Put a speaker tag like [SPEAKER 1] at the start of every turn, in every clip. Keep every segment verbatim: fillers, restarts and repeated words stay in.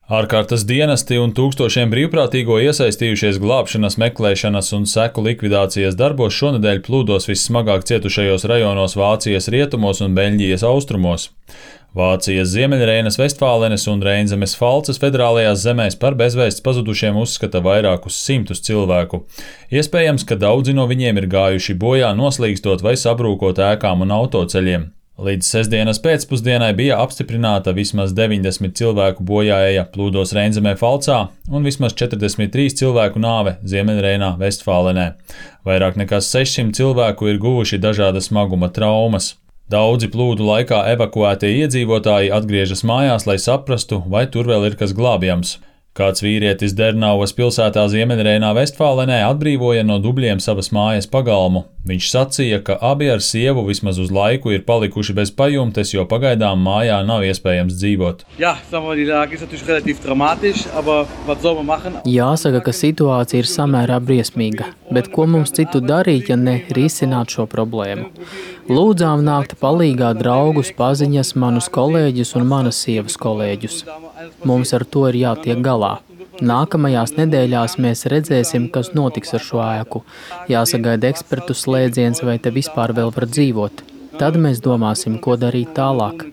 [SPEAKER 1] Ārkārtas dienesti un tūkstošiem brīvprātīgo iesaistījušies glābšanas, meklēšanas un seku likvidācijas darbos šonedēļ plūdos vissmagāk cietušajos rajonos Vācijas rietumos un Beļģijas austrumos. Vācijas Ziemeļreinas, Vestfālenes un Reinzemes Falces federālajās zemēs par bezvēsts pazudušiem uzskata vairākus simtus cilvēku. Iespējams, ka daudzi no viņiem ir gājuši bojā noslīgstot vai sabrūkot ēkām un autoceļiem. Līdz sestdienas pēcpusdienai bija apstiprināta vismaz deviņdesmit cilvēku bojāeja plūdos Reinzemē Falcā un vismaz četrdesmit trīs cilvēku nāve Ziemeļreinā, Vestfālenē. Vairāk nekā sešsimt cilvēku ir guvuši dažāda smaguma traumas. Daudzi plūdu laikā evakuētie iedzīvotāji atgriežas mājās, lai saprastu, vai tur vēl ir kas glābjams. Kāds vīrietis Dernauvas pilsētā Ziemeļreinā, Vestfālenē atbrīvoja no dubļiem savas mājas pagalmu. Viņš sacīja, ka abi ar sievu vismaz uz laiku ir palikuši bez pajumtes, jo pagaidām mājā nav iespējams dzīvot.
[SPEAKER 2] Jāsaka, ka situācija ir samērā briesmīga, bet ko mums citu darīt, ja ne risināt šo problēmu? Lūdzām nākt palīgā draugus, paziņas, manus kolēģus un manas sievas kolēģus. Mums ar to ir jātiek galā. Nākamajās nedēļās mēs redzēsim, kas notiks ar šo ēku. Jāsagaida ekspertu slēdziens, vai te vispār vēl var dzīvot. Tad mēs domāsim, ko darīt tālāk.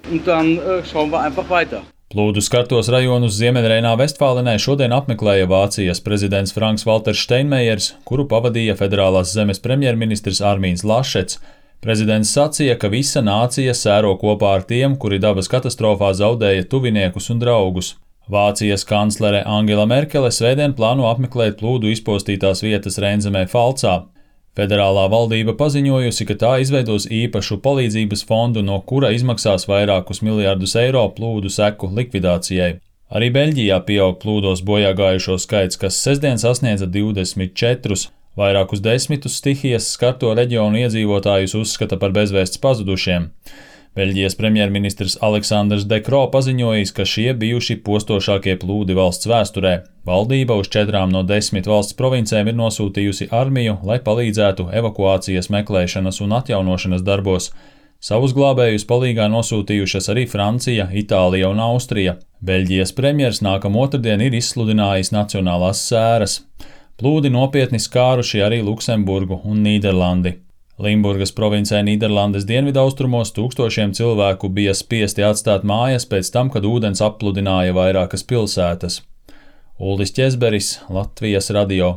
[SPEAKER 1] Plūdu skartos rajonus Ziemeļreinā, Vestfālenē šodien apmeklēja Vācijas prezidents Franks-Valters Steinmeiers, kuru pavadīja federālās zemes premjerministrs Armīns Lašets. Prezidents sacīja, ka visa nācija sēro kopā ar tiem, kuri dabas katastrofā zaudēja tuviniekus un draugus. Vācijas kanclere Angela Merkele svētdien plāno apmeklēt plūdu izpostītās vietas Reinzemē Falcā. Federālā valdība paziņojusi, ka tā izveidos īpašu palīdzības fondu, no kura izmaksās vairākus miljardus eiro plūdu seku likvidācijai. Arī Beļģijā pieaug plūdos bojāgājušo skaits, kas sestdien sasniedza divdesmit četrus. Vairākus desmitus stihijas skarto reģionu iedzīvotājus uzskata par bezvēsts pazudušiem. Beļģijas premjerministrs Aleksandrs De Croo paziņojis, ka šie bijuši postošākie plūdi valsts vēsturē. Valdība uz četrām no desmit valsts provincēm ir nosūtījusi armiju, lai palīdzētu evakuācijas, meklēšanas un atjaunošanas darbos. Savus glābējus palīgā nosūtījušas arī Francija, Itālija un Austrija. Beļģijas premjers nākamā otrdien ir izsludinājis nacionālās sēras. Plūdi nopietni skāruši arī Luksemburgu un Nīderlandi. Limburgas provincē Nīderlandes dienvidaustrumos tūkstošiem cilvēku bija spiesti atstāt mājas pēc tam, kad ūdens appludināja vairākas pilsētas. Uldis Ķezberis, Latvijas radio.